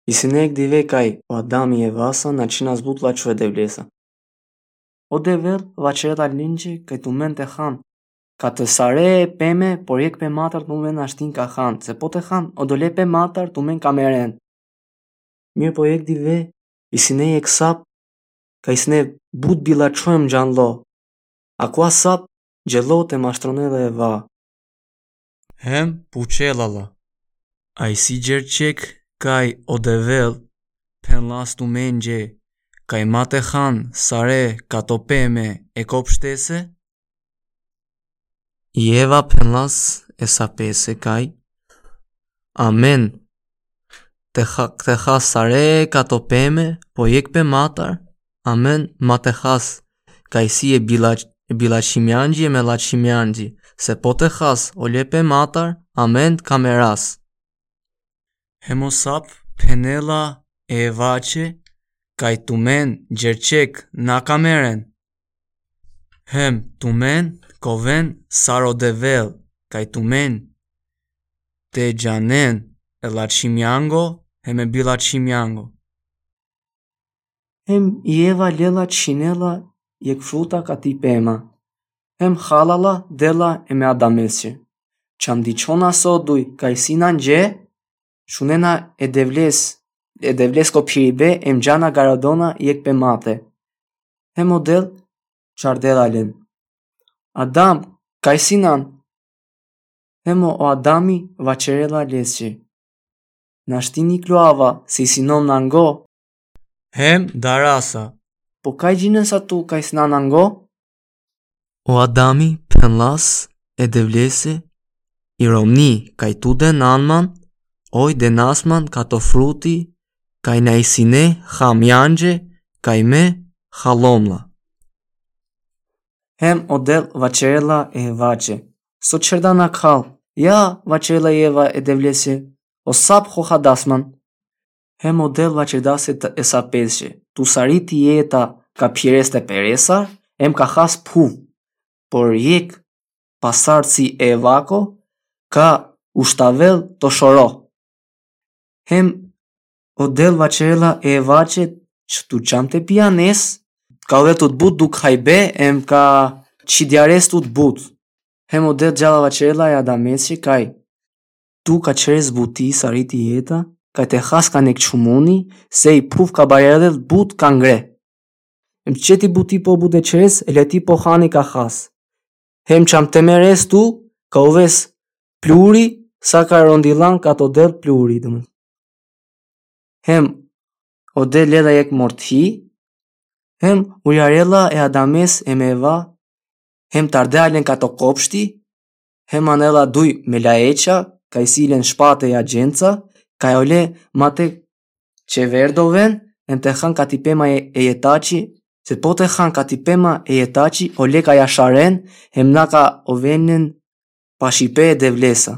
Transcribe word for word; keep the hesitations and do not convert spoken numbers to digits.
Isi ine jekh dive kaj o Adami e Evasa našti na zbutela čhu e Devlesa. O Devel vaćerela lenđe kaj tumen te han kate sare peme, por jekh pematar tumen našti ka han, se po te han odole pematar tumen ka meren. Mirë po jekh dive, isi ine jekh sap, kaj isi ine but bilačho em džanlo. Akava sap dželo te mashtronel e Eva. Hem pučela la: A isi gerçek kaj o Devel phenlas tumenđe kaj ma te han sare kato peme e kopštese? I Eva phenlas e sapese kaj: Amen. Te ha-, te has sare kato peme, po jekh pematar, amen ma te has, kaj isi e bilač-, e bilačhimjanđi em e lačhimjanđi, se po te has ole pematar, amen ka meras. Hem o sap phenela e Evaće kaj tumen gerçek na ka meren. Hem tumen ka oven sar o Devel, kaj tumen te džanen e lačhimjango hem e bilačhimjango. Hem i Eva lela čhinela jekh fruta kati pema. Hem hala la dela em e Adamesće. Čam dičhona so duj kaj isi nanđe, šunena e Devles, e Devlesko phiribe em džana garadona jekh pemate. Hem o Del čardela len: Adam, kaj sinan? Hem o Adami vaćerela lesće: Našti niklo ava, se isi nom nango. Hem darasa: Po kaj džinesa tu kaj sinan nango? O Adami phenlas e Devlese: I romni kaj tu denan man, oj denas man kato fruti, kaj na isi ine hamjanđe, kaj me halom la. Hem o Del vaćerela e Evaće: So čerdana khal? Ja, vaćerela i Eva e Devlese, o sap hohadas man. Hem o Del vaćerdas e sapesće: Tu sari ti jeta ka phires te peresar, em ka has phuv. Por jekh pasarci e Evako ka uštavel to šoro. Hem o Del vaćerela e Evaće: Č-, tu čam te pijanes, ka ovel tut but dukhajbe, em ka čhidjares tut but. Hem o Del džala vaćerela e Adamesće kaj: Tu ka čeres buti sari ti jeta, kaj te has ka nek čhumuni, se i phuv ka barjadel but ka ngre. Em četi buti po but e čeres, e leti po hani ka has. Hem čam te meres tu, ka oves pluri, sa ka rondilan kato Del pluri, domen. Hem o Del lela jekh morthi, hem uljarela e Adames em e Eva, hem tardea len kato kopšti, hem anela duj melaeća, kaj isi len špate e agjenca, kaj ole ma te čeverdoven, em te han kati pema e, e jetači, se po te han kati pema e jetači, ole ka jašaren, hem na ka oven len pašipe e Devlesa.